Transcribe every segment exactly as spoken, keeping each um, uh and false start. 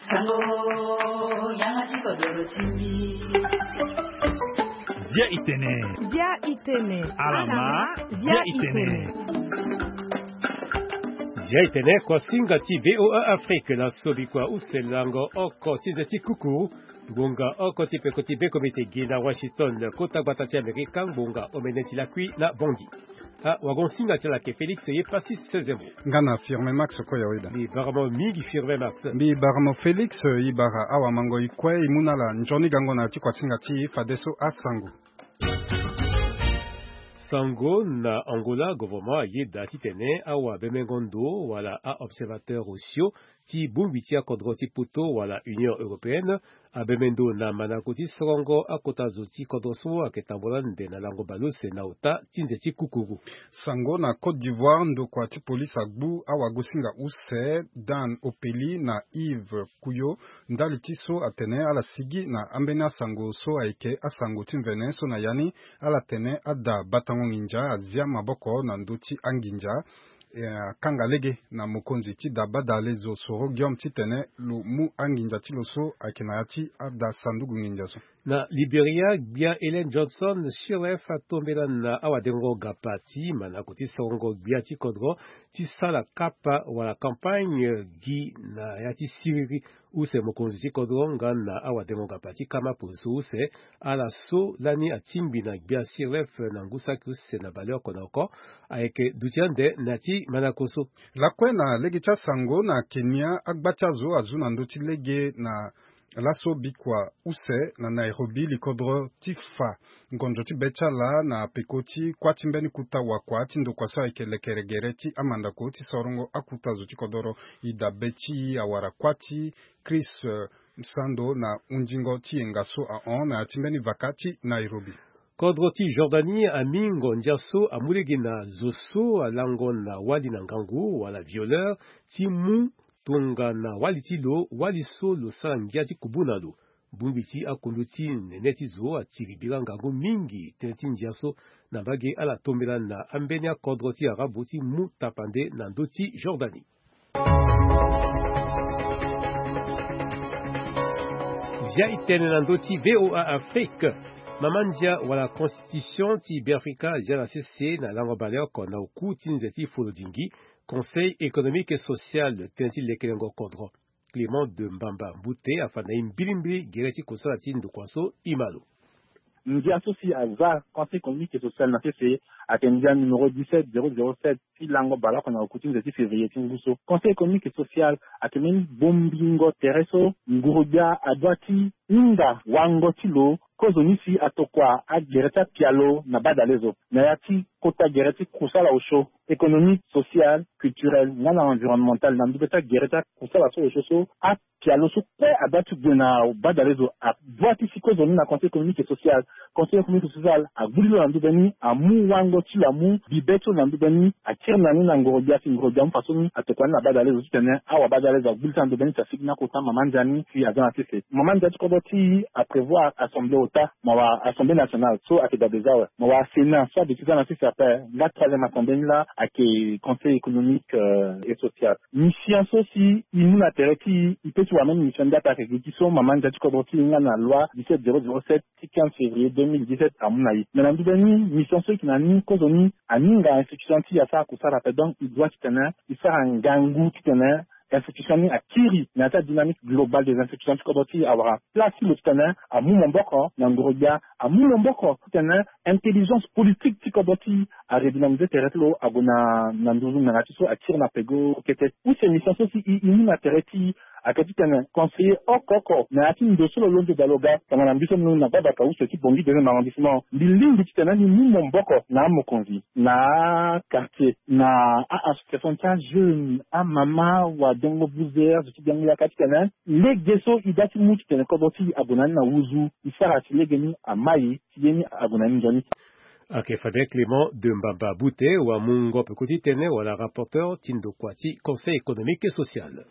Sango, yanga ti kodoro ti mbi. Bia itene. Bia itene. Alama, bia itene. Bia itene, kuasinga ti V O A Afrique na so bikua use lango oko ti nze ti kuku. Ngonga oko ti peko ti be komite gi na Washington, kota gbata ti Amerika, ngonga omene ti lakui na Bongi. Ah, wagon singa ti ala ke Félix ye pasi sezemo. Nga na Firme Max ko ya weda. Mbi bara mo mingi Firme Max. Mbi bara mo Félix, i bara awa mango i kue i mu na ala nzoni gango na ti kuasinga ti fadeso asango. Sango na Angola, gouvernement ayeda titene awabemengo ndo wala a-observateur osio ti bongbi ti akodro ti poto wala Union Européenne abeme ndo na manako ti sorongo akota zo ti kodro so ayeke tambula nde na lango baleuse na ota ti nze ti kukuru. Sango na Côte d'Ivoire, ndokua ti polise agbu awagosinga use Dan Opeli na Yves Kuyo ndali ti so atene ala sigi na ambeni asango so ayeke asango ti mvene so na ya ni ala tene ada batango nginza azia maboko na ndö ti anginza. Eh, akanga lege na mokonzi ti da badale zo Soro Guillaume titene lo mu anginza ti lo so ayeke na ya ti ada sanduku nginza so. Na Liberia, gbia Ellen Johnson Sirleaf atombela na awadengo gapa ti manako ti sorongo gbia ti kodro ti sala kapa wala campagne gi na ya ti siriri use mokonzi ti kodro nga na awadengo gapa ti kama poli so use ala so lani atingbi na gbia Sirleaf na ngu saki use na baleoko na oko ayeke duti ande na ya ti manako so. Lakue na lege ti asango na Kenya, agba ti azo azu na ndö ti lege na laso bikua use na Nairobi likodro ti fa ngonzo ti be ti ala na peko ti kuâ ti mbeni kuta wakua ti ndokua so ayeke lekere gere ti amandako ti sorongo akuta zo ti kodoro. I dabe ti awara kuâ ti Chris, eh, Msando na hundingo ti yenga so ahon na ya ti mbeni vaka ti Nairobi. Kodro ti Jordanie ami ngondia so amu lege na zo so alango na wali na ngangu wala violeur ti mu tongana wali ti lo, wali so lo sara ngia ti kubu na lo. Bongbi ti akundu ti nene ti zo atiri bira ngangu mingi tënë ti ndia so na mbage ala tombela na ambeni akodro ti Arabu ti mu tapande na ndö ti Jordanie. Zia itene na ndö ti V O A Afrique. Mama ndia wala constitution ti Beafrika azia na sese na lango baleoko na oku ti nze ti folodingi Conseil économique et social, tënë ti lekelengo kodro. Clément de Mbamba Mbute afa na ye mbilimbili gere ti kosala ti ndokua so i ma lo. Ndia so si aza Conseil économique et social na sese ayeke ndia numéro dix-sept zéro zéro sept ti lango baleoko na oku ti nze ti février ti ngu so. Conseil économique et social ayeke mbeni bongbingo tere so nguru-gbia adoit ti hinga wango ti lo kozoni si atokua agere ti apialo na badale zo na ya ti kota gere ti kusala osio économique, social, culturel nga na environnemental na ndö be ti agere ti akusala so osio so. Apialo so kue adoit ti gue na badale zo adoit ti si kozoni na Conseil économique et social. Conseil économique et social agbu li lo na ndö be ni, amu wango ti lo, amu bibe ti lo na ndö be ni, akiri na ni na ngoro-gbia si ngoro-gbia amu fa so ni atokua ni na badale zo titene awabadale zo agbu li ti na ndö be ni si asigi ni akota mama ndia ni si aza na sese. Mama ndia ti kodro ti e aprévoir assemblée ota, mawa assemblée nationale so ayeke dabe za awe, mawa Sénat so aduti za na sese ape, nga troisième assemblée ni laa ayeke Conseil économique, euh, et social. Mission so si e mu na tere ti e, e peut ti wara même mission nde ape ayeke gi ti so mama ndia ti kodro ti e nga na loi dix-sept zéro zéro sept ti quinze février deux mille dix-sept amu na e. Mais na ndö be ni mission so e yeke na ni kozoni aninga institution ti e asara kusara ape. Donc e doit titene e sara ngangu titene institution ni akiri na ya ti adynamique globale des institutions ti kodro ti e, awara place ti lo titene amu maboko na ngoro-gbia, amu maboko titene intelligence politique ti kodro ti e aredynamiser tere ti lo ague na, na nduzu ngbanga ti so akiri na peko kete. Use mission so si e, e mu na tere ti e ayeke titene conseiller oko oko na ya ti ndo so lo londo daa lo ga tongana mbi so mbi londo na gbabaka use ti Bangui deuxième arrondissement. Mbi lingbi titene mbi mu maboko na amokonzi, na quartier, na a-association ti ajeune, amama, wadengo buzer, zo ti biango yaka titene lege so e doit ti mu titene kodro ti e ague na ni na wuzu, e sara si lege ni amai, si ye ni ague na ni nzoni. Ayeke fade Clément de Mbamba Bute, wamungo peko ti tënë wala rapporteur ti ndokua ti Conseil économique et social.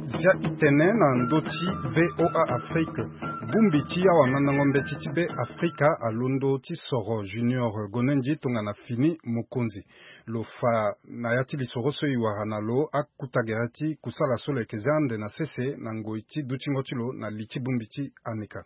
Zia itene na ndö ti V O A Afrique. Bongbi ti awamandango mbeti ti Be Afrika alondo ti soro Junior Gonendji tongana fini mokonzi. Lo fa na ya ti lisoro so e wara na lo akuta gere ti kusala so lo yeke zia ande na sese na ngoi ti dutingo ti lo na li ti bongbi ti Aneka.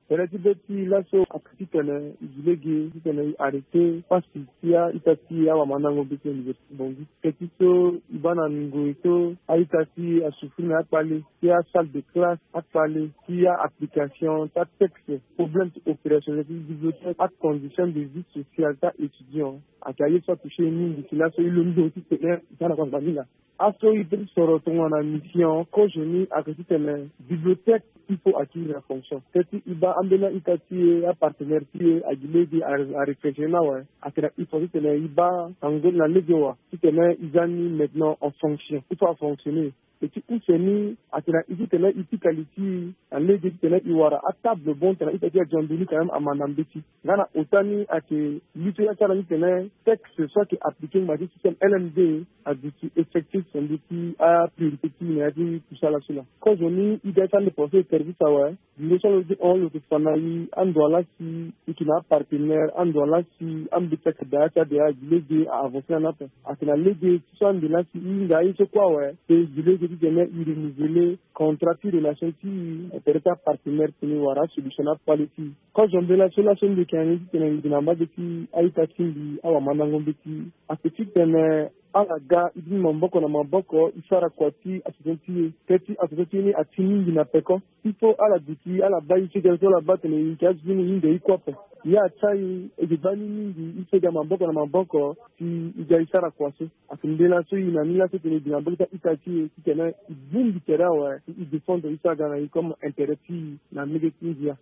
Tere ti be ti laso ake titene e gi lege titene e arrêter pasi ti a-ita ti awamandango mbeti Université Bangui. Teti so e baa na ngoi so a-ita ti e asouffrir na akpale, ti asalle de classe akpale, ti a-application ti atexte, problème ti opérationnel ti bibliothèque, acondition de vie sociale ti a-étudiant. Ayeke aye so atoucher e mingi si laso e londo titene e za na kua ngbani laa. Aso e peut ti soro tongana mission kozo ni ayeke titene bibliothèque il faut acquérir la fonction. Teti e baa ambeni a-ita ti e, apartenaire ti e agi lege a, aréfléchir ni awe. Atene il faut titene e baa na ngoi na lege wa titene e za ni maintenant en fonction, il faut afonctionner. E ti use ni atene e titene e pika li ti e na lege titene e wara atable bon titene a-ita ti e adia ndo ni quand même amanda mbeti. Nga na ota ni ayeke li so ya ti ala ni titene texte so ayeke appliquer ngbanga ti système L M D aduti effectif na ndö ti apriorité ti e na ya ti kusala so laa. Kozo ni e ga ti ande pensé e service awe. Ndö so lo di hon lo yeke fa na e ando ala si e yeke na apartenaire ando ala si ambeti ayeke daa ya ti ade agi lege a avancer na ni ape. Ayeke na lege ti so ande laa si e hinga aye so kue awe. Pe e gi lege titene e renouveler contrat ti relation ti e na tere ti apartenaire ti ni wala asolution na akpale ti e. Kozo mbela so laso mbi yeke na ni titene mbi yeke na mbage ti a-ita ti mbi awamandango mbeti. Ayeke titene ala ga e bini maboko na maboko e sara kua ti association ti e. Teti association ti e ni ati mingi na peko. Il faut ala duti ala baa e sega so ala baa tene e yeke azo ti e ni e hinga e kue ape. Ye atia e e yeke baa ni mingi e sega maboko na maboko si e ga e sara kua so. Ayeke mbela so e na ni laso tene e yeke na mbage ti a-ita ti e titene e bongbi tere awe e défendre e so aga na e comme intérêt ti e na lege ti ndia.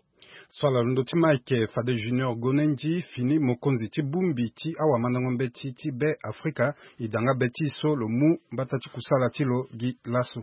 So ala londo ti Mike fade Junior Gonendji fini mokonzi ti bongbi ti awamandango mbeti ti Be Afrika. E da nga be ti e so lo mu mbata ti kusala ti lo gi laso.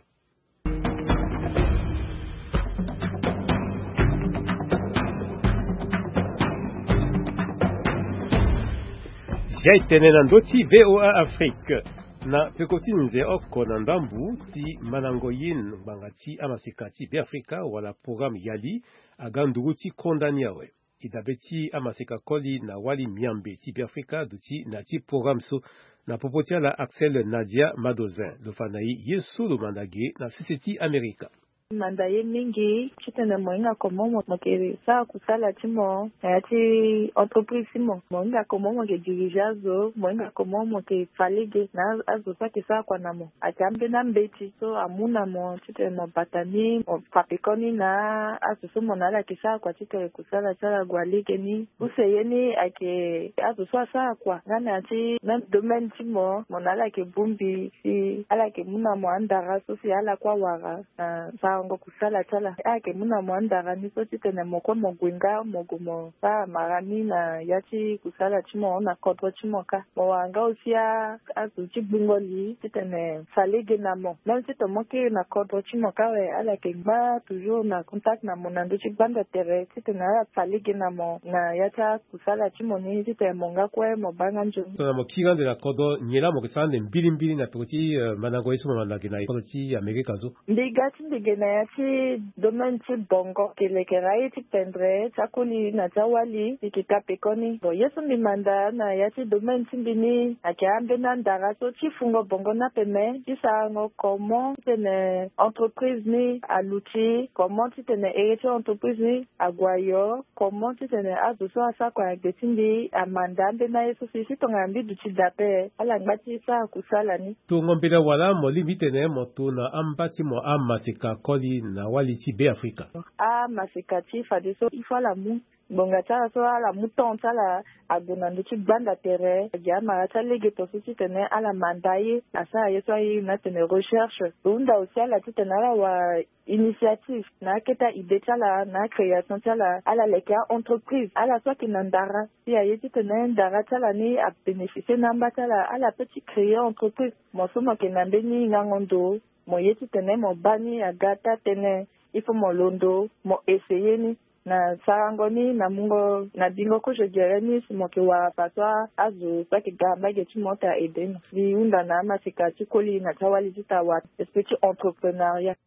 Zi aye tene na ndö ti V O A Afrique. Na peko ti nze oko na ndambu ti mandango yin ngbanga ti amaseka ti Be Afrika wala programme Yali aga nduru ti konda ni awe. E dabe ti amaseka koli na wali miambe ti Be Afrika duti na ya ti programme so. Na popo ti ala Axel Nadia Madozin lo fa na e ye so lo manda ge na sese ti Amerika. Manda ye mingi titene mo hinga comment mo, mo yeke sara kusala ti mo na ya ti entreprise ti mo. Mo hinga comment mo yeke diriger azo, mo hinga comment mo yeke fa lege na azo so ayeke sara kua na mo. Ayeke ambeni ambeti so amu na mo titene mo bata ni, mo fa pekoni na azo so mo na ala yeke sara kua titene kusala ti ala ague lege ni. Use ye ni ayeke azo so asara kua nga na ya ti même domaine ti mo, mo na ala yeke bongbi si ala yeke mu na mo andara so si ala kue awara na sarango kusala ti ala. Ayeke mu na mo andara ni so titene mo kue mo gue nga mo gue mo sara mara ni na ya ti kusala ti mo na kodro ti mo kâ. Mo wara nga aussi a, azo ti gbungo li titene fa lege na mo. Même si tongana mo kiri na kodro ti mo kâ awe, ala yeke ngba toujours na contact na mo na ndö ti gbanda tere titene ala fa lege na mo na ya ti akusala ti mo ni titene mo nga kue mo baa nga nzoni. Tongana mo kiri ande na kodro, nyen laa mo yeke sara ande mbilimbili na peko ti, eh, mandango ye so mo manda ge na kodro ti Amerika so? Mbi ga ti mbi ge na ya ti domaine ti bongo, yeke lekere aye ti pendere ti akoli na ti awali, mbi yeke ka pekoni. Bon, ye so mbi manda na ya ti domaine ti mbi ni ayeke ambeni andara so ti fungo bongo ni ape, me ti sarango comment titene entreprise ni aluti, comment titene ere ti entreprise ni ague ayo, comment titene azo so asara kua na gbe ti mbi amanda ambeni aye so si, si tongana mbi duti daa ape, ala ngba ti sara kusala ni. Tongo mbela wala mo lingbi titene mo to na amba ti mo amaseka koli na wali ti Be Afrika? Amaseka ti fadeso il faut ala mu ngbonga ti ala so ala mu temps ti ala ague na ndö ti gbanda tere, agi amara ti alege to so titene ala manda ye, asara ye so aye na atene recherche. Lo hunda aussi ala titene ala wara initiative na akete a-idée ti ala na acréation ti ala, ala leke a-entreprise. Ala so ayeke na ndara si aye titene ndara ti ala ni abénéficier na amba ti ala, ala peut ti créer entreprise. Mo so mo yeke na mbeni ngango ndo, mo ye titene mo baa ni aga taa tënë, il faut mo londo mo essayer ni. Na sarango ni na mungo na bingo kozo gere ni si mo yeke wara fadeso azo so ayeke ga mbage ti mo ti a-aider mo. Mbi hunda na amaseka ti koli na ti awali ti ta wara esprit ti entrepreneuriat.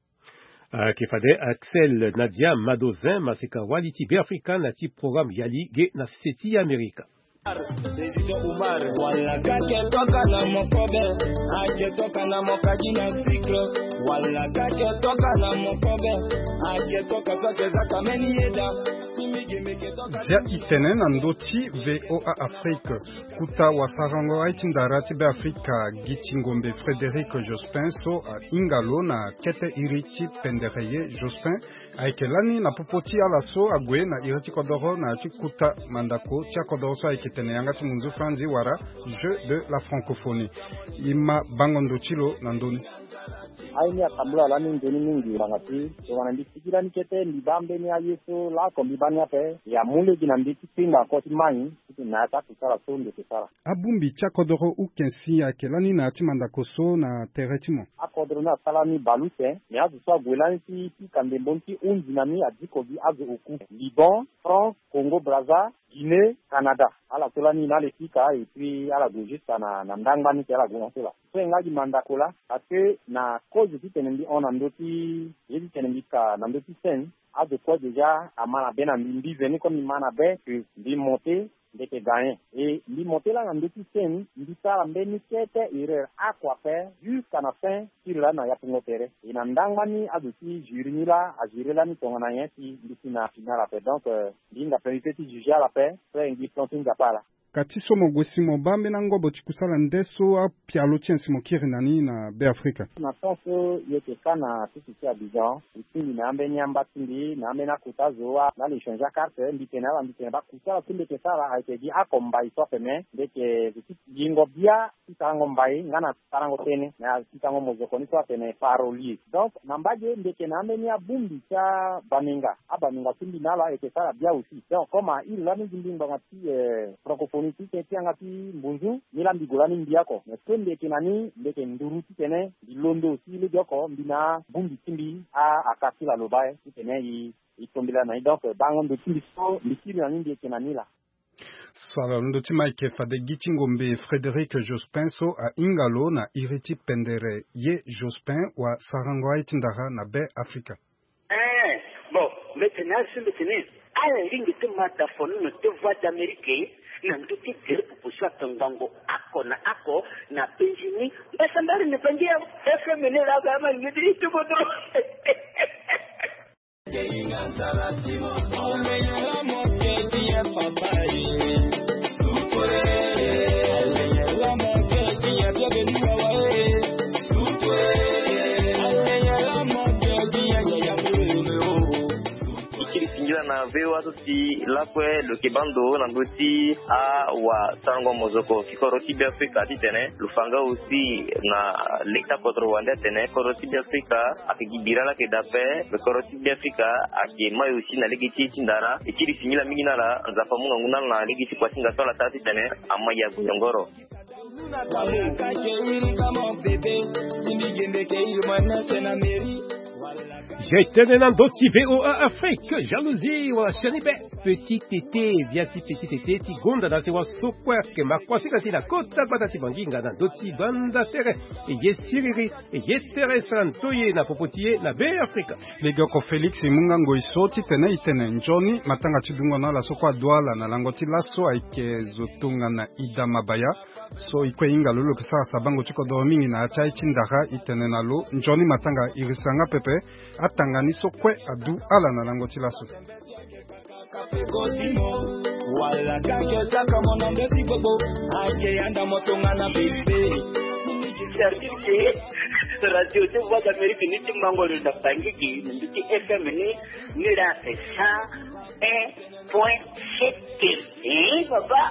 Ayeke fade Axel Nadia Madozin, maseka wali ti Beafrika na ya ti programme Yali ge na sese ti Amerika. Zia i tene na ndö ti VOA Afrique. Kota wasarango aye ti ndara ti Beafrika, gi ti ngombe Frédéric Jospin so ahinga lo na kete iri ti pendere ye Jospin, ayeke lani na popo ti ala so ague na iri ti kodoro na ya ti kota mandako ti akodoro so ayeke tene yanga ti munzu franzi wala Jeux de la Francophonie. I ma bango ndo ti lo na ndö ni. Aye ni atambula lani nzoni mingi ngbanga ti tongana mbi sigi lani kete mbi baa mbeni aye so laoko mbi baa ni ape. Ya mu lege na mbi ti kpingba oko ti mai ti tene na ya ti akusala so mbi yeke sara. Abongbi ti akodoro ukensi ayeke lani na ya ti mandako so na tere ti mo. Akodoro ni asara ni bale use, me azo so ague lani ti pika ndembo ni ti hunzi na ni adiko gi azo oku. Liban, France, Congo Brazza, Guinée, Canada. Ala so lani na ala e pika et puis ala gue jusqu'à na, na ndangba ni ti ala gue na so laa. So e nga gi mandako laa, parce que na cause ti tene mbi hon na ndö ti ye ti tene mbi ka na ndö ti scène, azo kue déjà ama na be na mbi, mbi veni comme mbi ma na be que mbi monter, mbi yeke gagner. Et mbi monter laa na ndö ti scène, mbi sara mbeni kete erreur oko ape jusqu'à na fin ti iri lani na yapungo tere. Et na ndangba ni azo ti jury ni laa ajurer lani tongana nyen si mbi si na finale ape. Donc, euh, mbi hinga priorité ti juger ala ape, so e ngi plan ti Nzapa ala. Ka ti so mo gue si mo baa mbeni angobo ti kusala nde so apialo ti nyen si mo kiri na ni na Beafrika? Na temps so e yeke ka na sese ti Abidjan, e tingbi na ambeni amba ti mbi, na ambeni akota zo, ala échange acarte, mbi tene ala, mbi tene baa kusala so mbi yeke sara ayeke gi oko mbai so ape, me mbi yeke zo ti yengo bia ti sarango mbai nga na sarango tënë na ya ti tango mozoko ni so atene parolier. Donc, na mbage mbi yeke na ambeni abongbi ti abaminga, abaminga so mbi na ala ayeke sara bia aussi. Donc, comme a iri lani gi mbi ngbanga ti, eh, francophonie ti tënë ti yanga ti mbunzu, ni laa mbi gue lani mbi oko. Mais so mbi yeke na ni, mbi yeke nduru titene mbi londo aussi legeoko mbi na abongbi ti mbi, a, aka ti la loba, eh, titene e, e tombela na ni. Donc, bango ndo ti mbi so mbi kiri na ni, mbi yeke na ni laa. So ala londo ti ma ayeke fade gi ti ngombe Frédéric Jospin so ahinga lo na iri ti pendere ye Jospin wasarango aye ti ndara na Be Afrika. Eh, bon, mbi tene azo mbi tene ala lingbi ti ma da fonono ti Voix d'Amérique na ndö ti tere popo so ato ngbongo oko na oko na penzi ni. Mbasambari ni pangi ya F M ni laa ga ma ngidi ti bodo. Ti kiri singila na V O A so si lakue lo yeke baa ndo na ndö ti awasarango mozoko ti kodro ti Beafrika titene lo fa nga aussi na lege ti akodro wande atene kodro ti Beafrika ayeke gi bira laa ayeke daa ape, me kodro ti Beafrika ayeke mai aussi na lege ti ye ti ndara. E kiri singila mingi na ala, Nzapa amu ngangu na ala na lege ti kuasinga so ala sara titene ama ya gue yongoro. Je tene na ndö ti V O A Afrique, jalousie wala sioni be. Petit Tete, via ti Petit Tete ti gonda na sewa so kue ayeke ma kuasinga ti na kota gbata ti Banginga na ndö ti banda tere. E ye siriri, e ye tere sara ndoye na popo ti e na Be Afrika. Legeoko Félix e mu nga ngoi so titene e tene nzoni matanga ti dungo na ala so kue adu ala na lango ti laso ayeke zo tongana Ida Mabaya. So e kue e hinga lo lo yeke sara sabango ti kodoro mingi na ya ti aye ti ndara, e tene na lo nzoni matanga e risa nga pepe. Atanga ni so kue adu ala na lango ti laso. Radio ti Voix d'Amérique ni ti mango lo na Bangui na ndö ti F M ni, ni la cent un point sept. Eh, papa.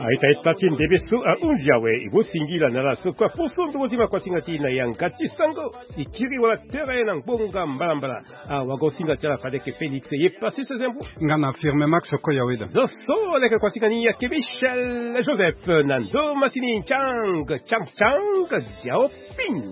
Aita ita ti ndebe so ahunzi awe, e gue singila na ala so kue aposo ndongo ti ma kuasinga ti na yanga ti sango. E kiri wala tere na ngbonga mbalambala. Awagosinga ti ala fade yeke Félix ye Passis Zembu. Nga na Firme Max Koyaweda. Zo so leke kuasinga ni ayeke Michel Joseph na ndo masini Chang, Chang, Chang, Xiaoping.